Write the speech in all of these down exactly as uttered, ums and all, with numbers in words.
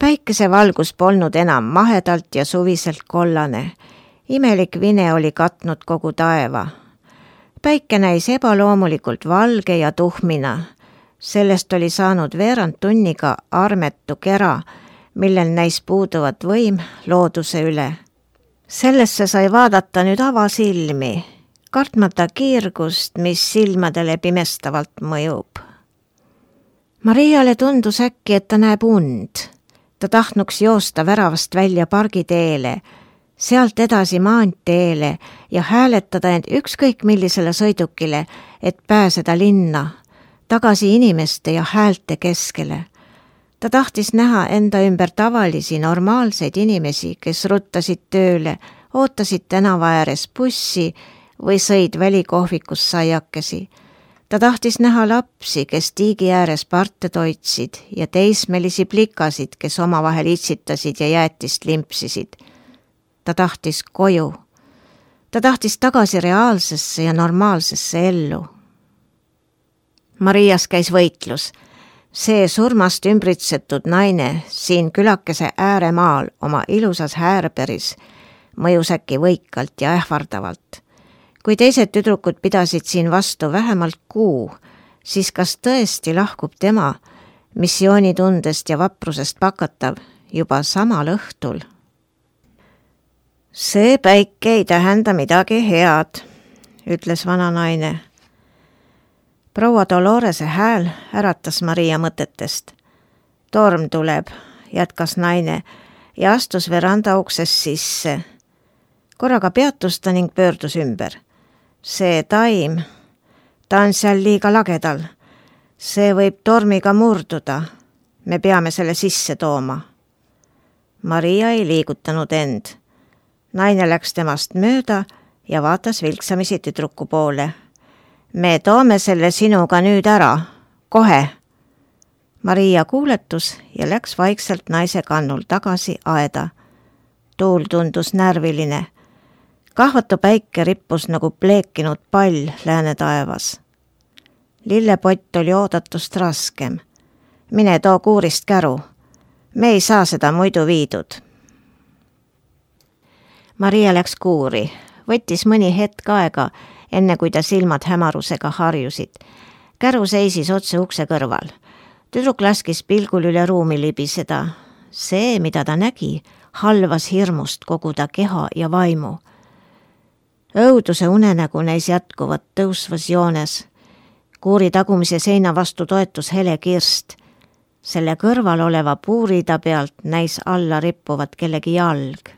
Päikesevalgus polnud enam mahedalt ja suviselt kollane. Imelik vine oli katnud kogu taeva. Päike näis ebaloomulikult valge ja tuhmina. Sellest oli saanud veerand tunniga armetu kera, millel näis puuduvat võim looduse üle. Sellesse sai vaadata nüüd avasilmi, kartmata kiirgust, mis silmadele pimestavalt mõjub. Mariale tundus äkki, et ta näeb und. Ta tahtnuks joosta väravast välja pargiteele, sealt edasi maanteele ja hääletada end ükskõik millisele sõidukile, et pääseda linna, tagasi inimeste ja häälte keskele. Ta tahtis näha enda ümber tavalisi, normaalseid inimesi, kes ruttasid tööle, ootasid tänava ääres bussi või sõid välikohvikus saiakesi. Ta tahtis näha lapsi, kes tiigi ääres parte toitsid ja teismelisi plikasid, kes omavahel itsitasid ja jäätist limpsisid. Ta tahtis koju. Ta tahtis tagasi reaalsesse ja normaalsesse ellu. Marias käis võitlus. See surmast ümbritsetud naine siin külakese ääremaal oma ilusas häärberis mõjus äkki võikalt ja ähvardavalt. Kui teised tüdrukud pidasid siin vastu vähemalt kuu, siis kas tõesti lahkub tema missioonitundest ja vaprusest pakatav juba samal õhtul? See päike ei tähenda midagi head, ütles vana naine. Proua Dolorese hääl äratas Maria mõtetest. Torm tuleb, jätkas naine ja astus veranda ukses sisse. Korraga peatus ta ning pöördus ümber. See taim, ta on seal liiga lagedal. See võib tormiga murduda. Me peame selle sisse tooma. Maria ei liigutanud end. Naine läks temast mööda ja vaatas vilksamisi tüdruku poole. Me toome selle sinuga nüüd ära. Kohe. Maria kuuletus ja läks vaikselt naise kannul tagasi aeda. Tuul tundus närviline. Kahvatu päike rippus nagu pleekinud pall lääne taevas. Lillepott oli oodatust raskem. Mine too kuurist käru. Me ei saa seda muidu viidud. Maria läks kuuri. Võttis mõni hetk aega, enne kui ta silmad hämarusega harjusid. Käru seisis otse ukse kõrval. Tüdruk laskis pilgul üle ruumi libiseda. See, mida ta nägi, halvas hirmust kogu ta keha ja vaimu. Õuduse unenägu näis jätkuvat tõusvas joones. Kuuri tagumise seina vastu toetus hele kirst. Selle kõrval oleva puurida pealt näis alla rippuvat kellegi jalg.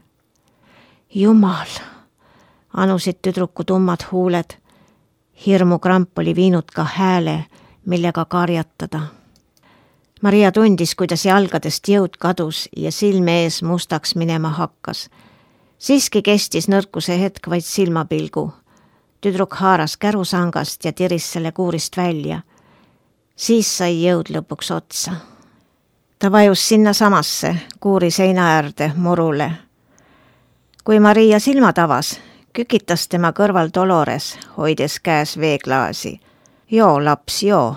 Jumal, anusid tüdruku tummad huuled. Hirmu kramp oli viinud ka hääle, millega karjatada. Maria tundis, kuidas jalgadest jõud kadus ja silme ees mustaks minema hakkas. Siiski kestis nõrkuse hetk vaid silmapilgu. Tüdruk haaras kärusangast ja tiris selle kuurist välja. Siis sai jõud lõpuks otsa. Ta vajus sinna samasse, kuuri seina äärde, murule. Kui Maria silmad avas, kükitas tema kõrval Dolores, hoides käes veeklaasi. Joo, laps, joo,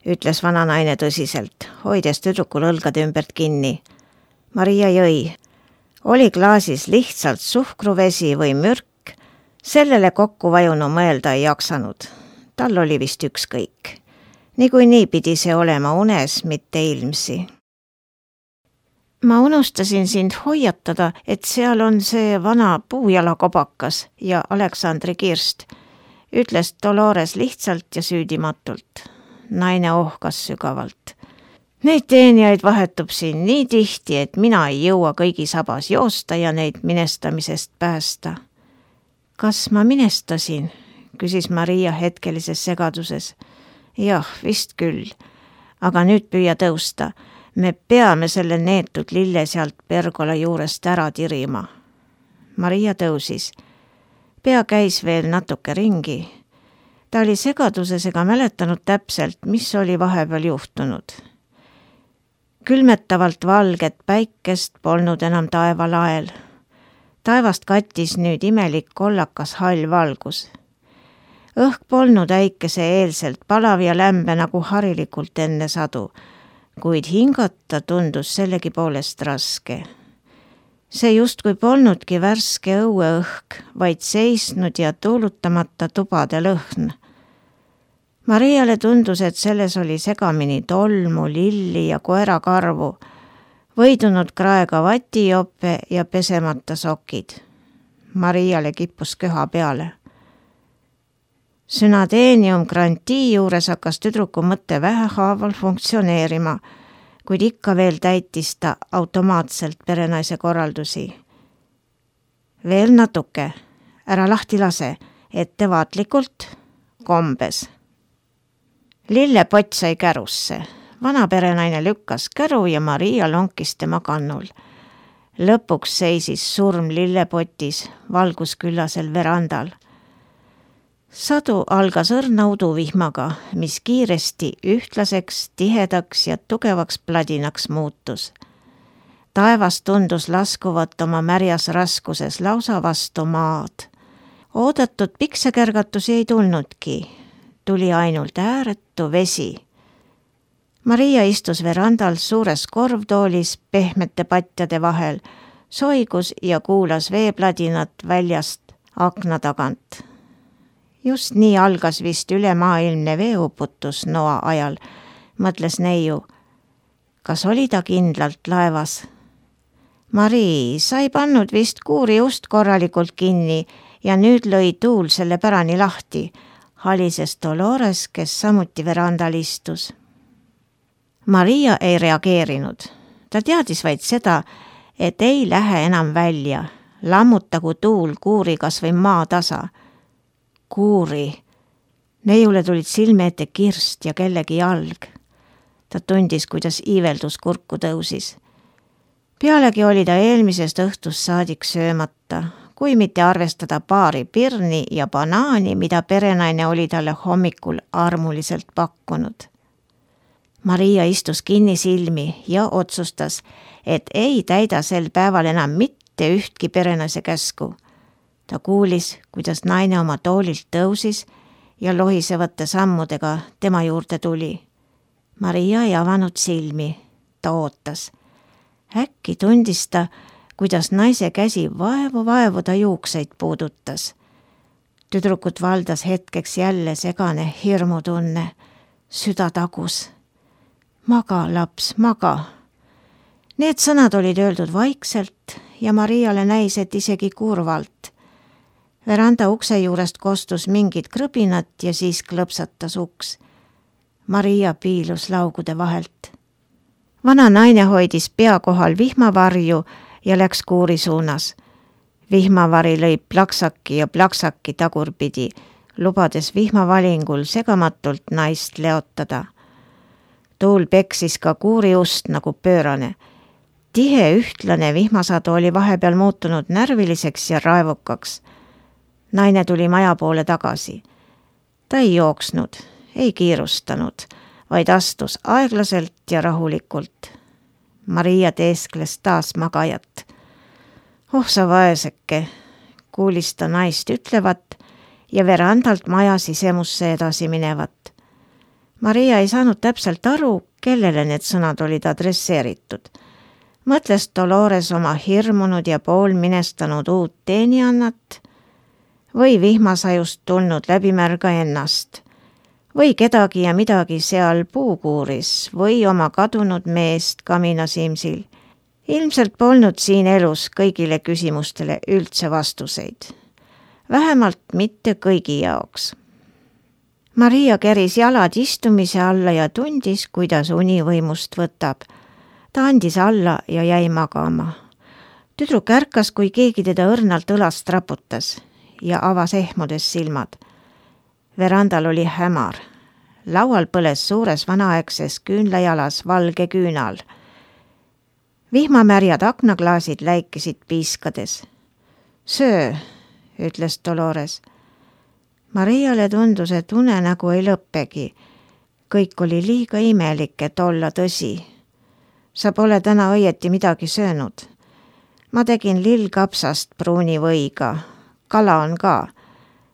ütles vana naine tõsiselt, hoides tüdrukul õlgade ümbert kinni. Maria jõi. Oli klaasis lihtsalt suhkruvesi või mürk, sellele kokku vajunu mõelda ei jaksanud. Tal oli vist ükskõik. Niikuinii pidi see olema unes, mitte ilmsi. Ma unustasin sind hoiatada, et seal on see vana puujalakobakas ja Aleksandri kirst, ütles Dolores lihtsalt ja süüdimatult. Naine ohkas sügavalt. Neid teenijaid vahetub siin nii tihti, et mina ei jõua kõigi sabas joosta ja neid minestamisest päästa. Kas ma minestasin? Küsis Maria hetkelises segaduses. Jah, vist küll. Aga nüüd püüa tõusta. Me peame selle neetud lille sealt pergola juurest ära tirima. Maria tõusis. Pea käis veel natuke ringi. Ta oli segaduses ega mäletanud täpselt, mis oli vahepeal juhtunud. Külmetavalt valget päikest polnud enam taevalael. Taevast kattis nüüd imelik kollakas hall valgus. Õhk polnud äikese eelselt palav ja lämbe nagu harilikult enne sadu. kuid hingata tundus sellegi poolest raske. See justkui polnudki värske õueõhk, vaid seisnud ja tuulutamata tubade lõhn. Mariale tundus, et selles oli segamini tolmu, lilli ja koerakarvu, võidunud kraega vatijope ja pesemata sokid. Mariale kippus köha peale. Synadeenium grantii juures hakkas tüdruku mõtte vähehaaval funktsioneerima, kuid ikka veel täitis ta automaatselt perenaise korraldusi. Veel natuke, ära lahti lase, ettevaatlikult, kombes. Lillepott sai kärusse. Vana perenaine lükkas käru ja Maria lonkis tema kannul. Lõpuks seisis surm lillepotis valgusküllasel verandal. Sadu algas õrna uduvihmaga, mis kiiresti ühtlaseks, tihedaks ja tugevaks pladinaks muutus. Taevas tundus laskuvat oma märjas raskuses lausa vastu maad. Oodatud piksekärgatusi ei tulnudki, tuli ainult ääretu vesi. Maria istus verandal suures korvtoolis pehmete patjade vahel, soigus ja kuulas veepladinat väljast akna tagant. Just nii algas vist ülemaailmne veeuputus noa ajal, mõtles neiu. Kas oli ta kindlalt laevas? Mari, sa ei pannud vist kuuri ust korralikult kinni ja nüüd lõi tuul selle pärani lahti, halises Dolores, kes samuti verandal istus. Maria ei reageerinud. Ta teadis vaid seda, et ei lähe enam välja, lammutagu tuul kuuri kas või maa tasa. Kuuri. Neiule tulid silme ette kirst ja kellegi jalg. Ta tundis, kuidas iiveldus kurku tõusis. Pealegi oli ta eelmisest õhtust saadik söömata, kui mitte arvestada paari pirni ja banaani, mida perenaine oli talle hommikul armuliselt pakkunud. Maria istus kinni silmi ja otsustas, et ei täida sel päeval enam mitte ühtki perenaise käsku. Ta kuulis, kuidas naine oma toolilt tõusis ja lohisevate sammudega tema juurde tuli. Maria ei avanud silmi, ta ootas. Äkki tundis ta, kuidas naise käsi vaevu-vaevu ta juukseid puudutas. Tüdrukut valdas hetkeks jälle segane hirmutunne, süda tagus. Maga, laps, maga. Need sõnad olid öeldud vaikselt ja Mariale näis, et isegi kurvalt. Veranda ukse juurest kostus mingid krõbinat ja siis klõpsatas uks. Maria piilus laugude vahelt. Vana naine hoidis pea kohal vihmavarju ja läks kuuri suunas. Vihmavari lõi plaksaki ja plaksaki tagurpidi, lubades vihmavalingul segamatult naist leotada. Tuul peksis ka kuuri ust nagu pöörane. Tihe ühtlane vihmasadu oli vahepeal muutunud närviliseks ja raevukaks. Naine tuli maja poole tagasi. Ta ei jooksnud, ei kiirustanud, vaid astus aeglaselt ja rahulikult. Maria teeskles taas magajat. Oh sa vaeseke, kuulis ta naist ütlevat ja verandalt maja sisemusse edasi minevat. Maria ei saanud täpselt aru, kellele need sõnad olid adresseeritud. Mõtles Dolores oma hirmunud ja poolminestanud uut teeniannat või vihmasajust tulnud läbimärga ennast või kedagi ja midagi seal puukuuris või oma kadunud meest kaminasimsil. Ilmselt polnud siin elus kõigile küsimustele üldse vastuseid. Vähemalt mitte kõigi jaoks. Maria keris jalad istumise alla ja tundis, kuidas uni võimust võtab. Ta andis alla ja jäi magama. Tüdruk ärkas, kui keegi teda õrnalt õlast raputas ja avas ehmudes silmad. Verandal oli hämar. Laual põles suures vanaaegses küünlajalas valge küünal. Vihmamärjad aknaklaasid läikisid piiskades. Söö, ütles Dolores. Mariale tundus, et unenägu ei lõppegi. Kõik oli liiga imelik, et olla tõsi. Sa pole täna õieti midagi söönud. Ma tegin lillkapsast pruuni võiga. Kala on ka.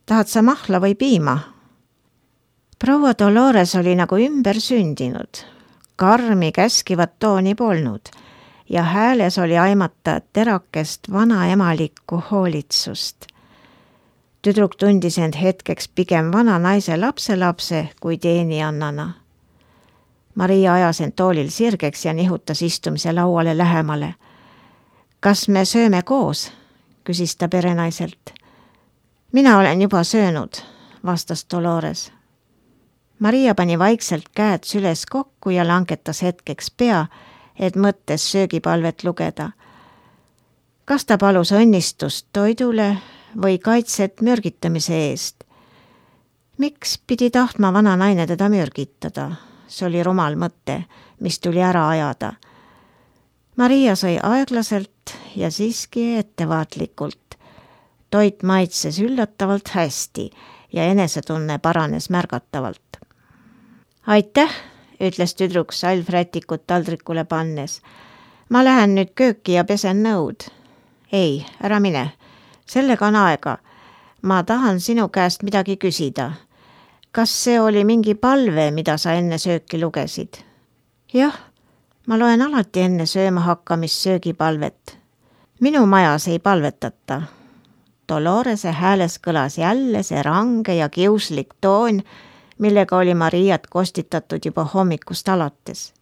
Tahad sa mahla või piima? Proua Dolores oli nagu ümber sündinud. karmi käskivat tooni polnud ja hääles oli aimata terakest vanaemalikku hoolitsust. Tüdruk tundis end hetkeks pigem vana naise lapselapse kui teenijannana. Maria ajas end toolil sirgeks ja nihutas istumise lauale lähemale. Kas me sööme koos? Küsis ta perenaiselt. Mina olen juba söönud, vastas Dolores. Maria pani vaikselt käed süles kokku ja langetas hetkeks pea, et mõttes söögipalvet lugeda. Kas ta palus õnnistust toidule või kaitset mürgitamise eest? Miks pidi tahtma vana naine teda mürgitada? See oli rumal mõte, mis tuli ära ajada. Maria sõi aeglaselt ja siiski ettevaatlikult. Toit maitses üllatavalt hästi ja enesetunne paranes märgatavalt. Aitäh, ütles tüdruk salvrätikut taldrikule pannes. Ma lähen nüüd kööki ja pesen nõud. Ei, ära mine. Sellega on aega. Ma tahan sinu käest midagi küsida. Kas see oli mingi palve, mida sa enne sööki lugesid? Jah, ma loen alati enne sööma hakkamist söögipalvet. Minu majas ei palvetata. Dolorese hääles kõlas jälle see range ja kiuslik toon, millega oli Mariat kostitatud juba hommikust alates.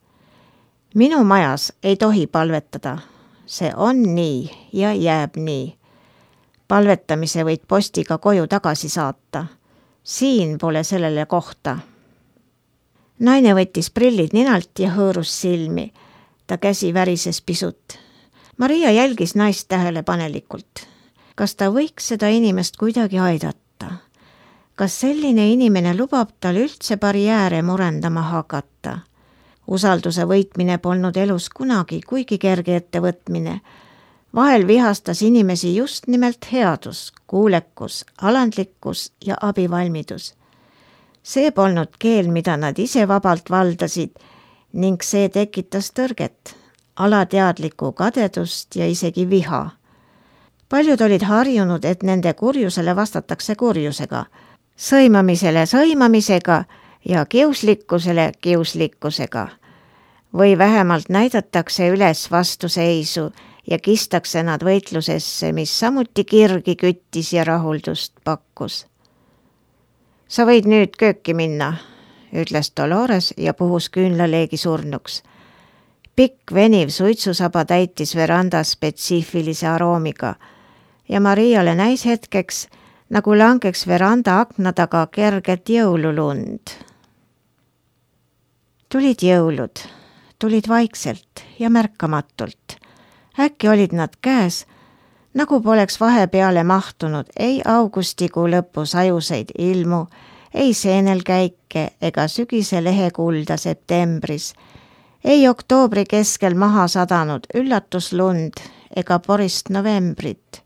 Minu majas ei tohi palvetada. See on nii ja jääb nii. Palvetamise võid postiga koju tagasi saata. Siin pole sellele kohta. Naine võttis prillid ninalt ja hõõrus silmi. Ta käsi värises pisut. Maria jälgis naist tähelepanelikult. Kas ta võiks seda inimest kuidagi aidata? Kas selline inimene lubab tal üldse barjääre murendama hakata? Usalduse võitmine polnud elus kunagi kuigi kerge ettevõtmine. Vahel vihastas inimesi just nimelt headus, kuulekus, alandlikkus ja abivalmidus. See polnud keel, mida nad ise vabalt valdasid ning see tekitas tõrget, alateadlikku kadedust ja isegi viha. Paljud olid harjunud, et nende kurjusele vastatakse kurjusega, sõimamisele sõimamisega ja kiuslikkusele kiuslikkusega. Või vähemalt näidatakse üles vastuseisu ja kistakse nad võitlusesse, mis samuti kirgi küttis ja rahuldust pakkus. Sa võid nüüd kööki minna, ütles Dolores ja puhus küünlaleegi surnuks. Pikk veniv suitsusaba täitis veranda spetsiifilise aroomiga ja Mariale näis hetkeks, nagu langeks veranda akna taga kerget jõululund. Tulid jõulud, tulid vaikselt ja märkamatult. Äkki olid nad käes, nagu poleks vahepeale mahtunud ei augustikuu lõpus ajuseid ilmu, ei seenelkäike ega sügise lehekulda septembris, ei oktoobri keskel maha sadanud üllatuslund ega porist novembrit.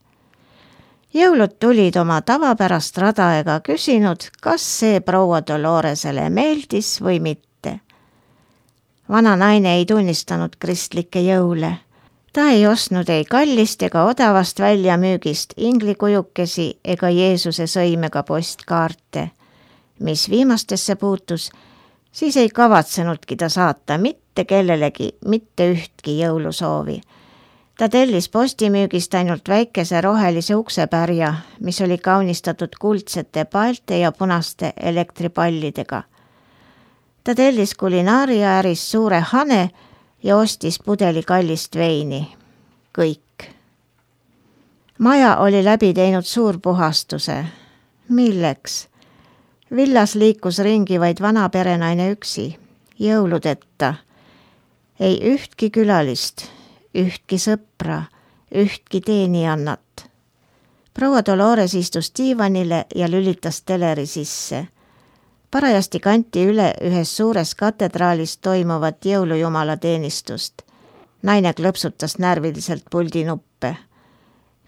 Jõulud tulid oma tavapärast rada ega küsinud, kas see proua Doloresele meeldis või mitte. Vana naine ei tunnistanud kristlikke jõule. Ta ei ostnud ei kallist ega odavast väljamüügist inglikujukesi ega Jeesuse sõimega postkaarte. Mis viimastesse puutus, siis ei kavatsenudki ta saata mitte kellelegi mitte ühtki jõulusoovi. Ta tellis postimüügist ainult väikese rohelise uksepärja, mis oli kaunistatud kuldsete paelte ja punaste elektripallidega. Ta tellis kulinaariaäris suure hane ja ostis pudeli kallist veini. Kõik. Maja oli läbi teinud suur puhastuse. Milleks? Villas liikus ringi vaid vana perenaine üksi, jõuludeta. Ei ühtki külalist, ühtki sõpra, ühtki teenijannat. Proua Dolores istus diivanile ja lülitas teleri sisse. Parajasti kanti üle ühes suures katedraalis toimuvat jõulujumala teenistust. Naine klõpsutas närviliselt puldinuppe.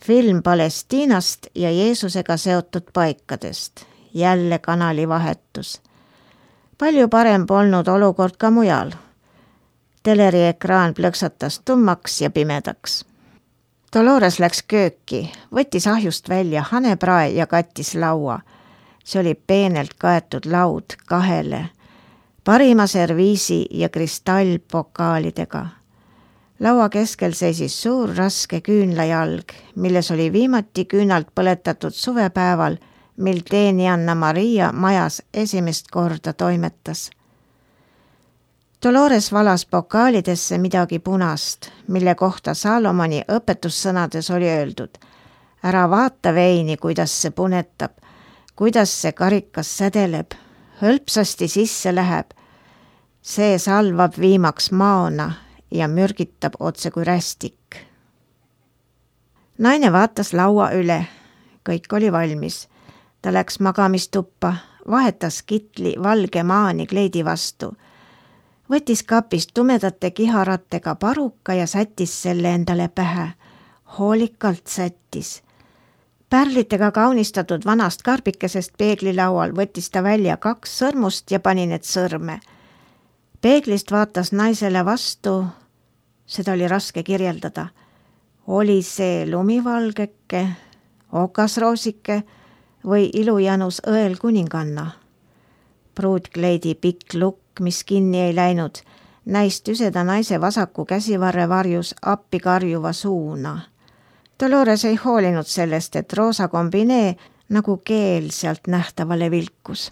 Film Palestiinast ja Jeesusega seotud paikadest. Jälle kanali vahetus. Palju parem polnud olukord ka mujal. Teleri ekraan plõksatas tummaks ja pimedaks. Dolores läks kööki, võttis ahjust välja haneprae ja kattis laua. See oli peenelt kaetud laud kahele. parima serviisi ja kristallpokaalidega. Laua keskel seisis suur raske küünlajalg, milles oli viimati küünalt põletatud suvepäeval, mil teenianna Maria majas esimest korda toimetas. Dolores valas pokaalidesse midagi punast, mille kohta Salomoni õpetussõnades oli öeldud: ära vaata veini, kuidas see punetab, kuidas see karikas sädeleb, hõlpsasti sisse läheb. See salvab viimaks maona ja mürgitab otse kui rästik. Naine vaatas laua üle, kõik oli valmis. Ta läks magamistuppa, vahetas kitli valge maani kleidi vastu, võttis kapist tumedate kiharatega paruka ja sättis selle endale pähe. Hoolikalt sättis. Pärlitega kaunistatud vanast karbikesest peeglilaual võttis ta välja kaks sõrmust ja pani need sõrme. Peeglist vaatas naisele vastu, seda oli raske kirjeldada. Oli see lumivalgeke, okasroosike või ilujanus õel kuninganna. Pruutkleidi pikk lukk, mis kinni ei läinud, näis tüseda naise vasaku käsivarre varjus appi karjuva suuna. Dolores ei hoolinud sellest, et roosa kombinee nagu keel sealt nähtavale vilkus.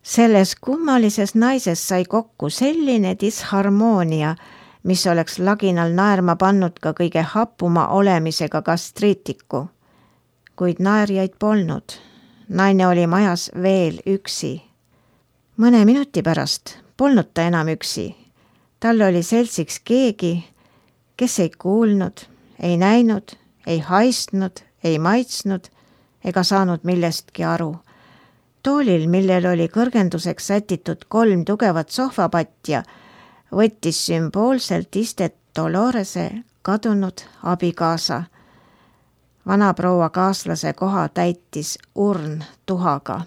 Selles kummalises naises sai kokku selline disharmoonia, mis oleks laginal naerma pannud ka kõige hapuma olemisega kastriitiku. Kuid naerjaid polnud. Naine oli majas veel üksi. Mõne minuti pärast polnud ta enam üksi. Tal oli seltsiks keegi, kes ei kuulnud, ei näinud, ei haistnud, ei maitsnud ega saanud millestki aru. Toolil, millel oli kõrgenduseks sätitud kolm tugevat sohvapatja, võttis sümboolselt istet Dolorese kadunud abikaasa. Vanaproua kaaslase koha täitis urn tuhaga.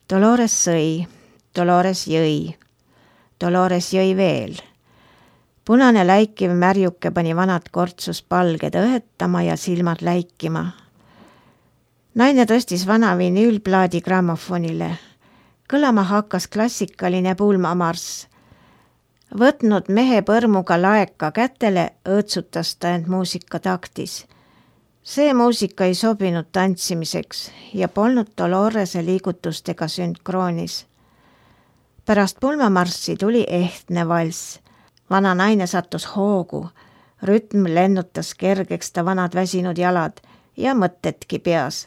Dolores sõi, Dolores jõi, Dolores jõi veel. Punane läikiv märjuke pani vanad kortsus palged õhetama ja silmad läikima. Naine tõstis vana vinüülplaadi grammofonile. Kõlama hakkas klassikaline pulmamarss. Võtnud mehe põrmuga laeka kätele, õõtsutas ta end muusika taktis. See muusika ei sobinud tantsimiseks ja polnud Dolorese liigutustega sünkroonis. Pärast pulmamarssi tuli ehtne valss. Vana naine sattus hoogu. Rütm lennutas kergeks ta vanad väsinud jalad ja mõttetki peas.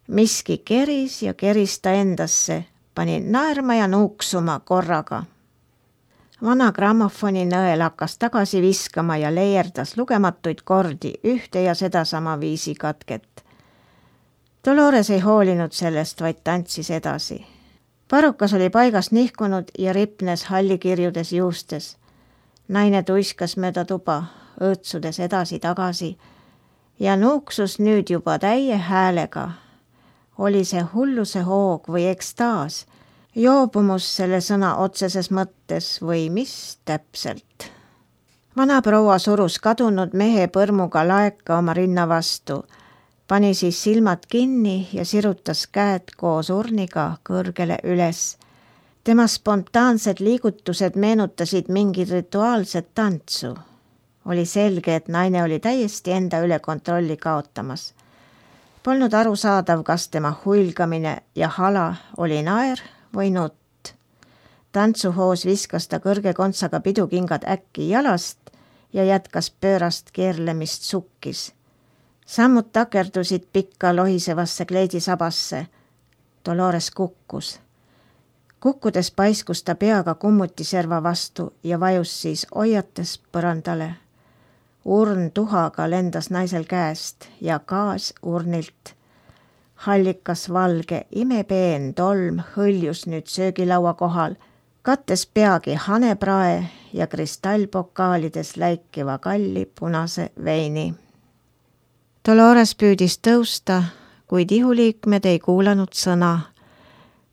Miski keris ja keris ta endasse, pani naerma ja nuuksuma korraga. Vana grammofoni nõel hakkas tagasi viskama ja leierdas lugematuid kordi ühte ja sedasama viisi katket. Dolores ei hoolinud sellest, vaid tantsis edasi. Parukas oli paigast nihkunud ja ripnes hallikirjudes juustes. Naine tuiskas mööda tuba, õõtsudes edasi-tagasi ja nuuksus nüüd juba täie häälega. Oli see hulluse hoog või ekstaas, joobumus selle sõna otseses mõttes või mis täpselt. Vana proua surus kadunud mehe põrmuga laeka oma rinna vastu, pani siis silmad kinni ja sirutas käed koos urniga kõrgele üles. Tema spontaansed liigutused meenutasid mingit rituaalset tantsu. Oli selge, et naine oli täiesti enda üle kontrolli kaotamas. Polnud aru saadav, kas tema huilgamine ja hala oli naer või nutt. Tantsuhoos viskas ta kõrge kontsaga pidukingad äkki jalast ja jätkas pöörast keerlemist sukkis. Sammud takerdusid pikka lohisevasse kleidisabasse. Dolores kukkus. Kukkudes paiskus ta peaga kummutiserva vastu ja vajus siis oiates põrandale. Urn tuhaga lendas naisel käest ja gaas urnilt. Hallikas valge imepeen tolm hõljus nüüd söögilaua kohal, kattes peagi haneprae ja kristallpokaalides läikiva kalli punase veini. Dolores püüdis tõusta, kuid ihuliikmed ei kuulanud sõna.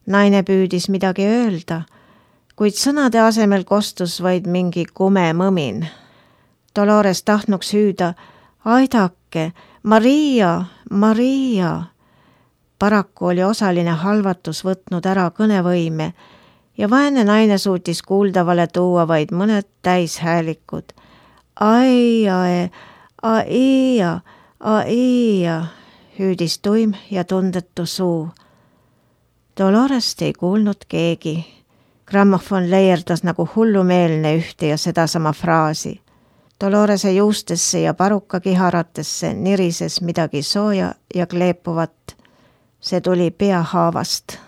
Naine püüdis midagi öelda, kuid sõnade asemel kostus vaid mingi kume mõmin. Dolores tahtnuks hüüda, aidake, Maria, Maria. Paraku oli osaline halvatus võtnud ära kõnevõime ja vaene naine suutis kuuldavale tuua vaid mõned täishäälikud. Ai, ai, ai, ai, hüüdis tuim ja tundetu suu. Dolorest ei kuulnud keegi. Grammofon leierdas nagu hullumeelne ühte ja sedasama fraasi. Dolorese juustesse ja paruka kiharatesse nirises midagi sooja ja kleepuvat. See tuli peahaavast.